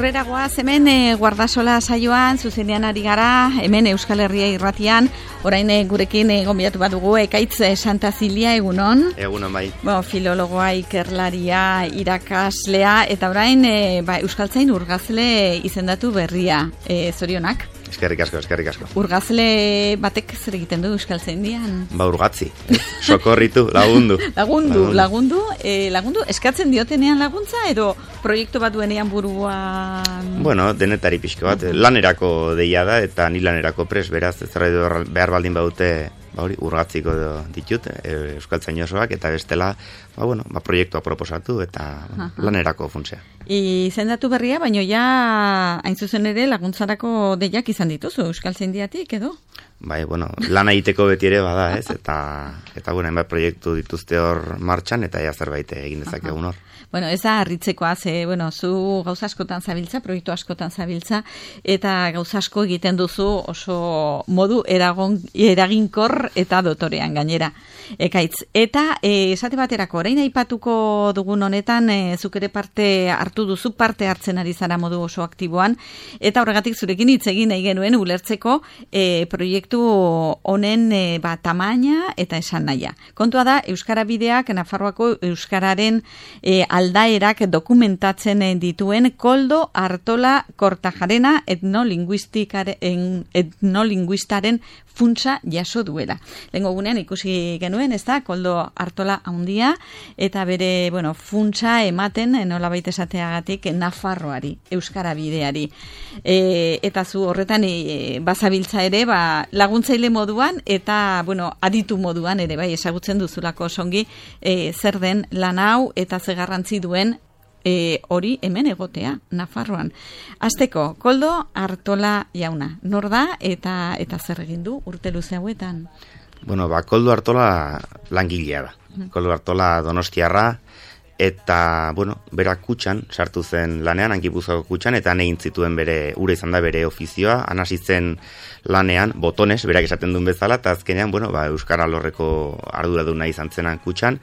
Aurrera goaz hemen Guardasola saioan zuzenean ari gara, hemen Euskal Herria irratian, orain gurekin gonbidatu bat dugu Ekaitz Santazilia, egunon. Egunon bai. Filologoa, ikerlaria, irakaslea, eta orain Euskaltzain urgazle izendatu berria, zorionak. Eskerrik asko. Urgazle batek zer egiten du Euskaltzaindian? Urgatzi, sokorritu, lagundu. Lagundu, eskatzen diotenean laguntza edo proiektu bat duenean buruan? Bueno, denetari pixko bat, lanerako deia da eta ni lanerako pres, beraz, ez behar baldin badute urgatziko ditut, Euskaltzain osoak, eta bestela, proiektua proposatu eta lanerako funtzea. Izendatu berria, baino ja hain zuzen ere laguntzarako deiak izan dituzu Euskaltzaindiatik edo? Bai, lana egiteko beti ere bada, ez? Eta hainbat proiektu dituzte hor martxan, eta ja zerbait egin dezakegun hor. Ez da harritzekoa, zu gauza askotan zabiltza, proiektu askotan zabiltza, eta gauza asko egiten duzu oso modu eraginkor eta dotorean gainera. Ekaitz, eta esate baterako, orain aipatuko dugun honetan, zuk ere parte hartzen ari zara modu oso aktiboan, eta horregatik zurekin hitz egin nahi genuen ulertzeko proiektu honen tamaina eta esan nahia. Kontua da, Euskara Bideak, Nafarroako Euskararen aldaerak dokumentatzen dituen Koldo Artola Kortajarena etnolinguistaren funtsa jaso duela. Lehengo gunean ikusi genuen, ez da, Koldo Artola handia, eta bere, funtsa ematen, nolabait esateagatik, Nafarroari, Euskara Bideari. Eta zu horretan bazabiltza ere, laguntzaile moduan, eta, aditu moduan ere, ezagutzen duzulako songi, zer den lan hau, eta ze garrantzi duen hori hemen egotea, Nafarroan. Hasteko, Koldo Artola jauna, nor da eta zer egin du urte luze hauetan? Koldo Artola langilea da. Koldo Artola donostiarra, eta, bera kutxan, sartu zen lanean, Gipuzkoako kutxan, eta egin zituen ura izan da bere ofizioa, hasi zen lanean, botones, berak esaten duen bezala, eta azkenean, Euskara Lorreko arduraduna izan zenan kutxan,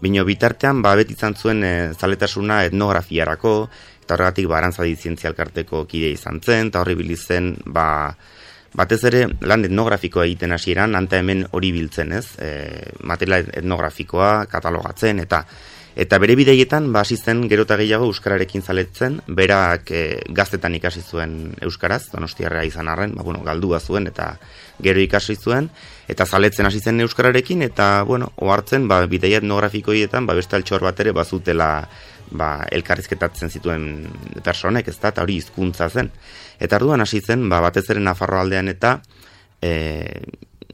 bino bitartean, beti izan zuen zaletasuna etnografiarako, eta horregatik Arantzadi Zientzialkarteko kide izan zen, eta horri bilizen, batez ere, lan etnografikoa egiten hasieran, anta hemen hori biltzen, ez? Material etnografikoa, katalogatzen, eta bere bideietan, hasi zen gero eta gehiago euskararekin zaletzen, berak gaztetan ikasi zuen euskaraz, donostiarra izan arren, galdua zuen eta gero ikasi zuen, eta zaletzen hasi zen euskararekin, eta, ohartzen, bideia etnografikoietan, beste altxor bat ere, bazutela, elkarrizketatzen zituen personek, ez da, eta hori hizkuntza zen. Eta orduan hasi zen, batez ere Nafarro aldean eta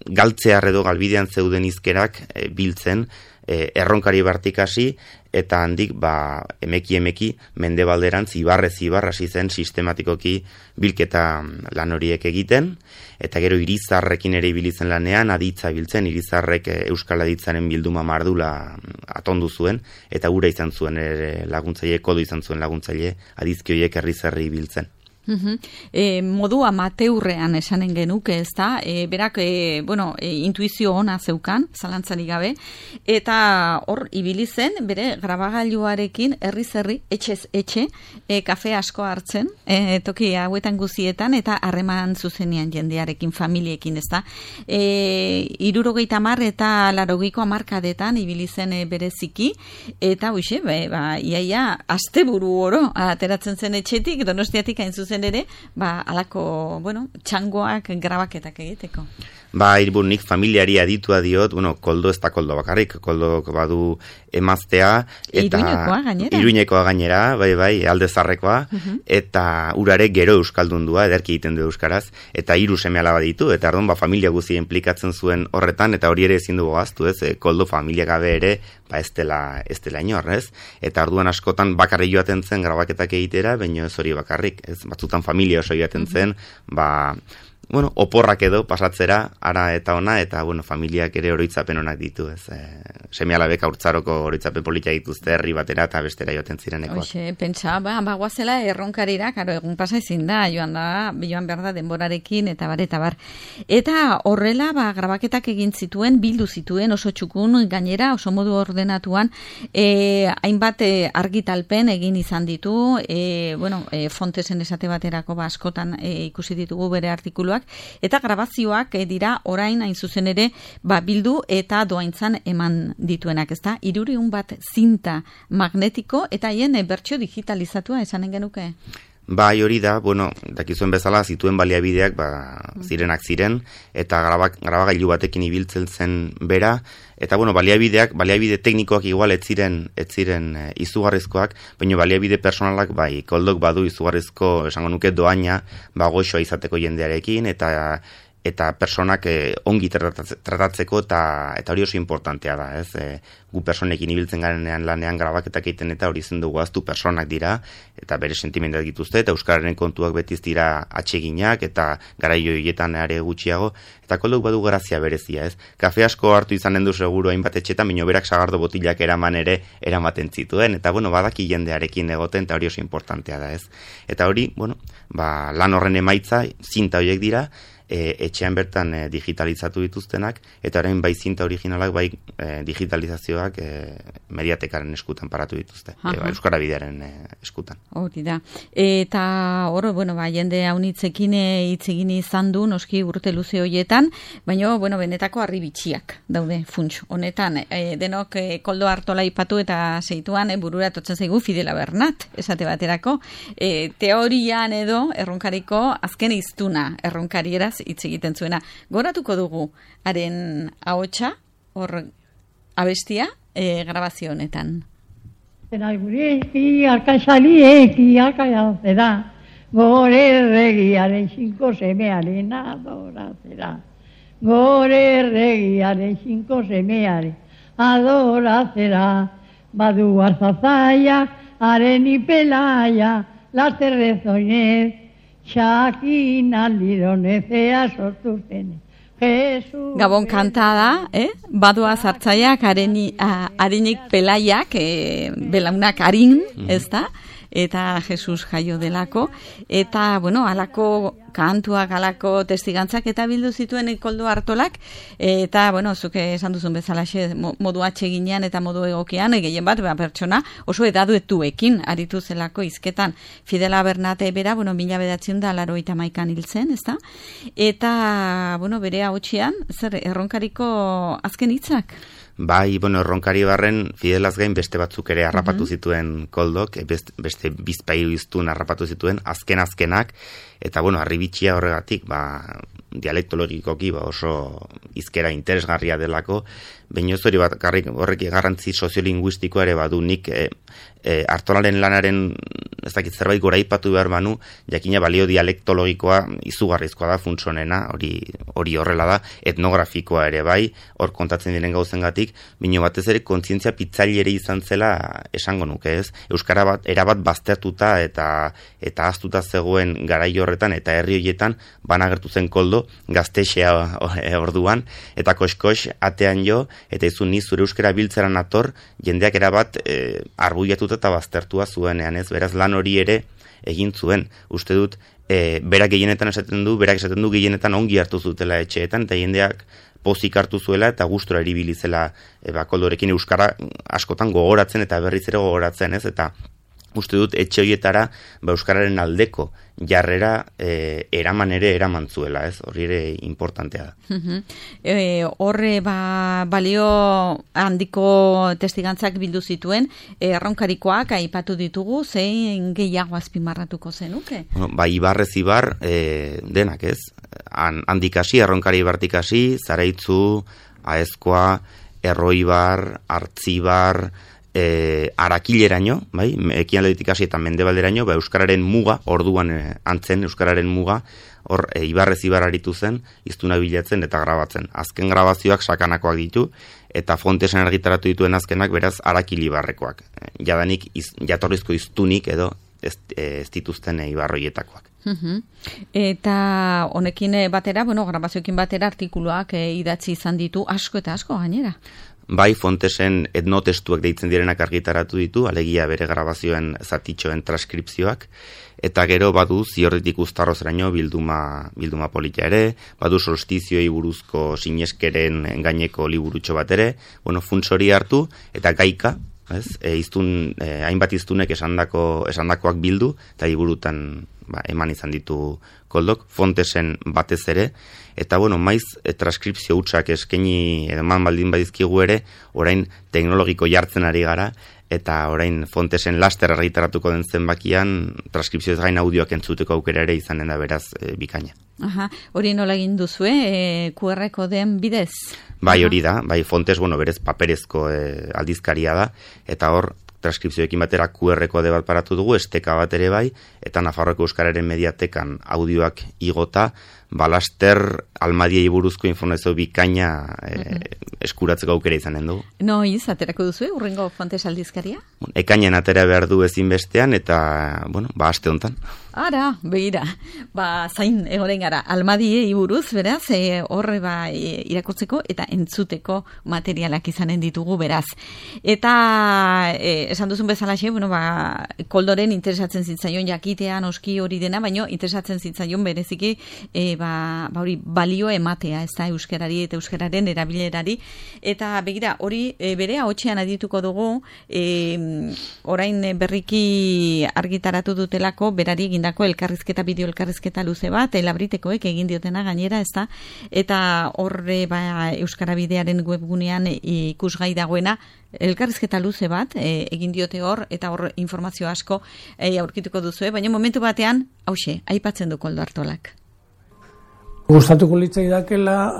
galtzear edo galbidean zeuden hizkerak biltzen, erronkari bartikasi, eta handik emeki mendebalderantz ibarrez hasi zen sistematikoki bilketa lan horiek egiten, eta gero irizarrekin ere ibilitzen lanean, aditza biltzen, irizarrek Euskal Aditzaren bilduma mardula atondu zuen, eta gura izan zuen laguntzaile, kodo izan zuen laguntzaile, adizki horiek herri biltzen. Modu amateurrean esanen genuke, ez da, berak, intuizio ona zeukan, zalantzarik gabe, eta hor ibili zen, bere grabagailuarekin herri, etxez etxe, kafe asko hartzen, toki hauetan guzietan, eta harreman zuzenean jendearekin, familiekin, ez da. 70 eta 80ko hamarkadetan ibili zen bereziki, eta iaia asteburu oro ateratzen zen etxetik, Donostiatik hain zuzen ere, alako, txangoak, grabaketak egiteko. Nik familiari aditua diot, Koldo ez da Koldo bakarrik, Koldo badu emaztea, eta Iruñekoa gainera, alde zarrekoa, eta urare gero euskaldundua, ederki egiten du euskaraz, eta 3 seme-alaba ditu, eta ardon familia guzia implikatzen zuen horretan, eta hori ere ezin dugu gaztu, ez? Koldo familia gabe ere, ez dela inor, ez? Eta orduan askotan bakarri joaten zen grabaketak egitera, baina ez hori bakarrik, ez? Batzutan familia oso joaten zen, oporrak edo pasatzera, ara eta ona, eta, familiak ere oroitzapen onak ditu, ez. Seme-alabek haurtzaroko oroitzapen politia dituzte herri batera eta bestera joaten zirenekoak. Hoxe, pentsa, bagoazela erronkarira, karo, egun pasa ezin da, joan behar da denborarekin, eta bar. Eta horrela, grabaketak egin zituen, bildu zituen, oso txukun, gainera, oso modu ordenatuan, hainbat argitalpen egin izan ditu, Fontesen esate baterako askotan ikusi ditugu bere artikuluak, eta grabazioak dira orain hain zuzen ere bildu eta doaintzan eman dituenak, ezta? 300 bat zinta magnetiko eta haien bertsio digitalizatua esanen genuke? Bai, hori da, dakizuen bezala zituen baliabideak zirenak ziren, eta grabagailu batekin ibiltzen zen bera, eta baliabide teknikoak igual ez ziren izugarrizkoak, baina baliabide personalak koldok badu izugarrizko, esango nuke, doaina goxoa izateko jendearekin, eta personak ongi tratatzeko, eta hori oso importantea da, ez? Gu personekin ibiltzen garenean lanean grabaketak egiten eta hori zen dugu aztu personak dira, eta bere sentimendak dituzte, eta euskararen kontuak betiz dira atseginak, eta garaio hietan are gutxiago, eta koldok badu grazia berezia, ez? Kafe asko hartu izanen du seguru hainbat etxetan, baina berak sagardo botilak eramaten zituen, eta badaki jendearekin egoten, eta hori oso importantea da, ez? Eta hori, lan horren emaitza, zinta horiek dira, etxean bertan digitalizatu dituztenak, eta orain bai zinta originalak, bai digitalizazioak Mediatekaren eskutan paratu dituzte, Euskara Bidearen eskutan. Hori da. Eta hor, jende haunitzekin hitz egin izan du, noski urte luze horietan, baina, benetako harri bitxiak daude funts. Honetan, denok Koldo Artola ipatu eta zeituan burura totzen zaigu Fidela Bernat, esate baterako. Teorian edo, erronkariko azken hiztuna erronkarieraz hitz egiten zuena. Goratuko dugu haren ahotsa, hor abestia, grabazio honetan. Gureki arkasalieki arkaia gore erregiaren 5 semearen adorazera. Gore erregiaren 5 semearen adorazera. Badu arzazaia, haren ipelaia, lasterrezoinez, Xakin aldironezea sortu zen. Gabon kantada, badua zartzaiak, harinik pelaiak, belaunak harin, ez da? Eta Jesus jaio delako, eta, alako kantuak, alako testigantzak, eta bildu zituen Koldo Artolak, eta, zuke esan duzun bezala, modu atseginean eta modu egokian, gehien bat, pertsona, oso edaduetuekin aritu zelako izketan. Fidela Bernate bera, 1981 hil zen, ez da? Eta, bere ahotsean, zer, erronkariko azken hitzak? Bai, erronkari barren Fidelaz gain beste batzuk ere harrapatu zituen Koldok, beste bizpailu iztun harrapatu zituen, azkenak, eta harribitxia horregatik, dialektologikoki oso izkera interesgarria delako, baina hori horrek garrantzi soziolinguistikoa ere badu nik Artolaren lanaren ez dakit zerbait goraipatu behar banu, jakina balio dialektologikoa izugarrizkoa da funtsonena, hori horrela da, etnografikoa ere bai, hor kontatzen diren gauzengatik, baina batez ere kontzientzia pitzaile ere izan zela esango nuke, ez? Euskara bat erabat baztertuta eta ahaztuta zegoen garai horretan eta herri horietan banagertu zen Koldo gaztexea orduan, eta koskos atean jo, eta izun ni zure euskara biltzeran ator, jendeak erabat arbuiatuta eta baztertua zuenean, ez? Beraz lan hori ere egin zuen. Uste dut, berak esaten du gehienetan ongi hartu zutela etxeetan, eta jendeak pozik hartu zuela eta gustora eribili zela Koldorekin euskara askotan gogoratzen eta berriz ere gogoratzen, ez? Eta uste dut etxe horietara euskararen aldeko jarrera eraman zuela, ez? Hori ere importantea da. Horre balio handiko testigantzak bildu zituen, erronkarikoak aipatu ditugu, zein gehiago azpimarratuko zenuke? Ibarrez ibar, denak, ez? Handikasi, erronkari ibartikasi, Zaraitzu, Aezkoa, Erroibar, Artzibar, Arakileraino, ekialdetik hasi eta mendebalderaino, euskararen muga, orduan antzen euskararen muga, hor Ibarrez ibar aritu zen, hiztuna bilatzen eta grabatzen. Azken grabazioak sakanakoak ditu, eta Fontesen argitaratu dituen azkenak beraz Arakilibarrekoak. Jadanik jatorrizko hiztunik edo ez dituzten ibarroietakoak. Eta honekin batera, grabazioekin batera artikuluak idatzi izan ditu asko eta asko gainera. Bai, Fontesen etnotestuak deitzen direnak argitaratu ditu, alegia bere grabazioen zatitxoen transkripzioak, eta gero badu Ziorditik Uztarrozeraino bilduma polita ere, badu solstizioi buruzko sineskeren gaineko liburutxo bat ere, funts hori hartu, eta gaika, hainbat iztunek esandakoak bildu, eta liburutan eman izan ditu Koldok, Fontesen batez ere, eta maiz transkripzio hutsak eskaini eman baldin badizkigu ere, orain teknologiko jartzen ari gara, eta orain Fontesen laster argitaratuko den zenbakian transkripzioez gain audioak entzuteko aukera ere izanen da beraz bikaina. Hori nola egin duzue, QR kodeen bidez? Bai, hori da, bai Fontes, berez paperezko aldizkaria da, eta hor transkripzioekin batera QR kode bat paratu dugu, esteka bat ere bai, eta Nafarroako Euskararen mediatekan audioak igota, balaster almadiei buruzko informazio bikaina eskuratzeko aukera izanen dugu. Noiz, aterako duzu, urrengo Fontes aldizkaria? Ekainean atera behar du ezinbestean, eta, aste hontan. Ara, begira, zain egoren gara, almadiei buruz, beraz, horre irakurtzeko eta entzuteko materialak izanen ditugu, beraz. Eta, esan duzun bezalaxe, Koldoren interesatzen zitzaion jakitea, noski hori dena, baino interesatzen zitzaion bereziki, hori balio ematea, ez da, euskarari eta euskararen erabilerari, eta begira, hori bere ahotsean adituko dugu, orain berriki argitaratu dutelako, berari egindako elkarrizketa, bideo elkarrizketa luze bat, Labritekoek egin diotena gainera, ez da, eta horre Euskara Bidearen webgunean ikusgai dagoena, elkarrizketa luze bat, egin diote hor, eta hor informazio asko aurkituko duzue, baina momentu batean, aipatzen du Koldo Artolak. Gustatuko litzaidakela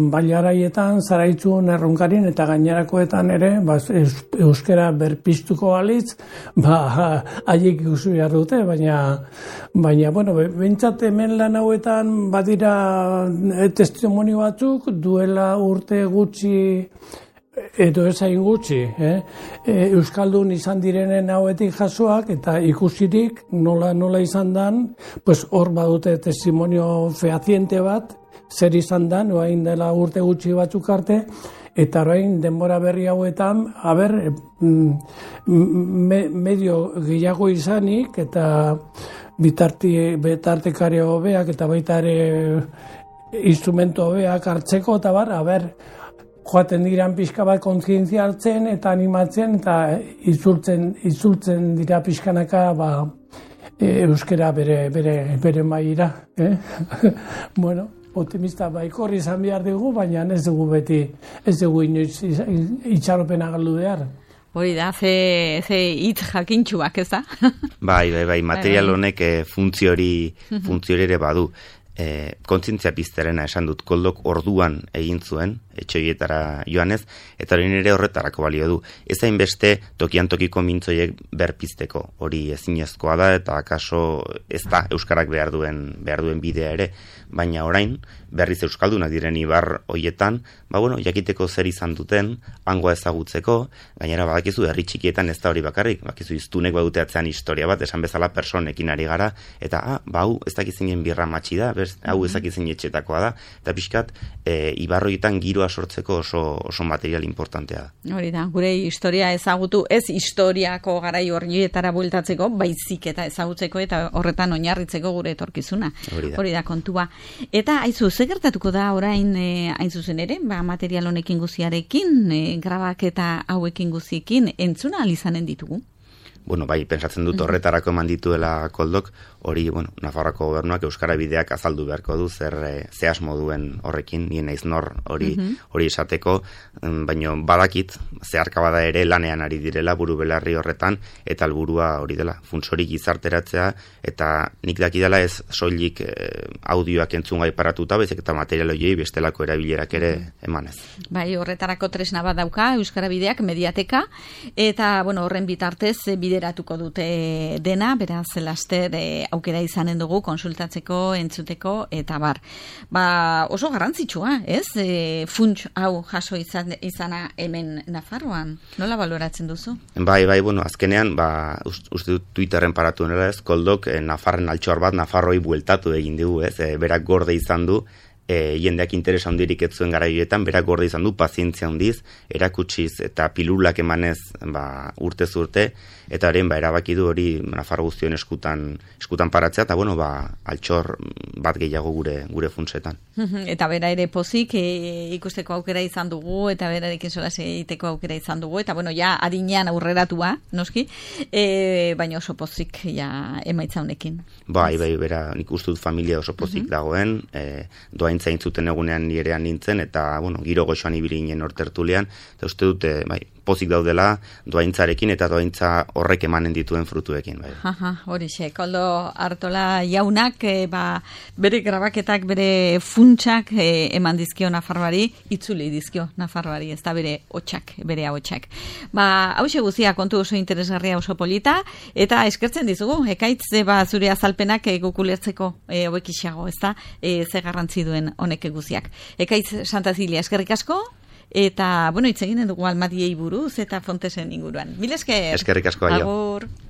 bailaraietan, zaraitzun erronkarin eta gainerakoetan ere, euskara berpiztuko balitz, haiek ikusi behar dute, baina, bentsat hemen lan hauetan badira testimonio batzuk, duela urte gutxi, edo ezain gutxi, Euskaldun izan direnen hauetik jasoak, eta ikusirik nola izan dan, hor badute testimonio fehaziente bat, zer izan dan, oain dela urte gutxi batzuk arte, eta orain denbora berri hauetan, medio gehiago izanik, eta bitartekare hobeak, eta baita ere instrumento hobeak hartzeko, eta joaten diran pixka bat kontzientzia hartzen eta animatzen eta itzultzen dira pixkanaka euskera bere maila. Optimista baikorri izan behar dugu, baina ez dugu inoiz itxaropena galdu behar. Hori da, ze hitz jakintxuak, ez da? Bai, material honek funtziori ere badu. Kontzientzia pizterena esan dut, Koldok orduan egin zuen, etxoietara joanez, eta hori nire horretarako balio du. Ez hainbeste tokian tokiko mintzoiek berpizteko, hori ezinezkoa da, eta akaso ez da euskarak behar duen bidea ere, baina orain, berriz euskaldunak diren ibar hoietan, jakiteko zer izan duten, hangoa ezagutzeko, gainera badakizu herri txikietan ez da hori bakarrik, bakizu iztunek badute atzean historia bat, esan bezala personekin ari gara, eta hau ez dakizinen birra matxi da, hau ez dakizinen etxetakoa da, eta pixkat, ibar hoietan giroa sortzeko oso material importantea da. Hori da, gure historia ezagutu, ez historiako garai horietara bueltatzeko, baizik eta ezagutzeko eta horretan oinarritzeko gure etorkizuna. Hori da kontua. Eta aizu, ze gertatuko da orain hain zuzen ere, material honekin guziarekin, grabaketa hauekin guziekin, entzuna alizanen ditugu? Bai, pensatzen dut horretarako eman dituela Koldok, hori, Nafarroako gobernuak Euskara Bideak azaldu beharko du zer asmo duen horrekin, nien naiz nor hori esateko, baina badakit, zeharka bada ere lanean ari direla buru belarri horretan, eta helburua hori dela, funtsorik gizarteratzea, eta nik dakidala ez soilik audioak entzungai paratuta, bezik eta material horiei bestelako erabilerak ere emanez. Bai, horretarako tresna bat dauka Euskara Bideak mediateka, eta horren bitartez bide bideratuko dute dena, beraz laster aukera izanen dugu konsultatzeko, entzuteko eta bar. Oso garrantzitsua, ez? Funts hau jaso izana hemen Nafarroan. Nola baloratzen duzu? Bai, bueno, azkenean, uste dut Twitterren paratu nela ez, Koldok Nafarren altxor bat Nafarroi bueltatu egin dugu, ez? Berak gorde izan du, jendeak interesa handirik ez zuen garaioetan, berak gorde izan du, pazientzia handiz, erakutsiz eta pilulak emanez urtez urte, eta haren erabaki du hori Nafarro guztion eskutan paratzea, eta bueno, altxor bat gehiago gure funtsetan. Eta bera ere pozik ikusteko aukera izan dugu, eta berarekin solas egiteko aukera izan dugu, eta bueno, ja adinean aurreratua, noski, baina oso pozik ja emaitza honekin. Bai, bera nik uste dut familia oso pozik dagoen, doaintza intzuten egunean nirean nintzen, eta bueno, giro goxoan ibili ginen hortertulean, eta uste dute, pozik daudela doaintzarekin eta doaintza horrek emanen dituen frutuekin. Horixe, Koldo Artola jaunak, bere grabaketak, bere funtsak eman dizkio Nafarroari, itzuli dizkio Nafarroari, ez da bere hotxak, bere ahotsak. Hauxe guztia kontu oso interesgarria, oso polita, eta eskertzen dizugu, Ekaitz, zure azalpenak gukulertzeko hobekixago, ez da, ze garrantzi duen honek guziak. Ekaitz Santazilia, eskerrik asko, eta, bueno, hitz eginen dugu Almadiei buruz eta Fontesen inguruan. Mil esker! Eskerrik asko, aio. Agur!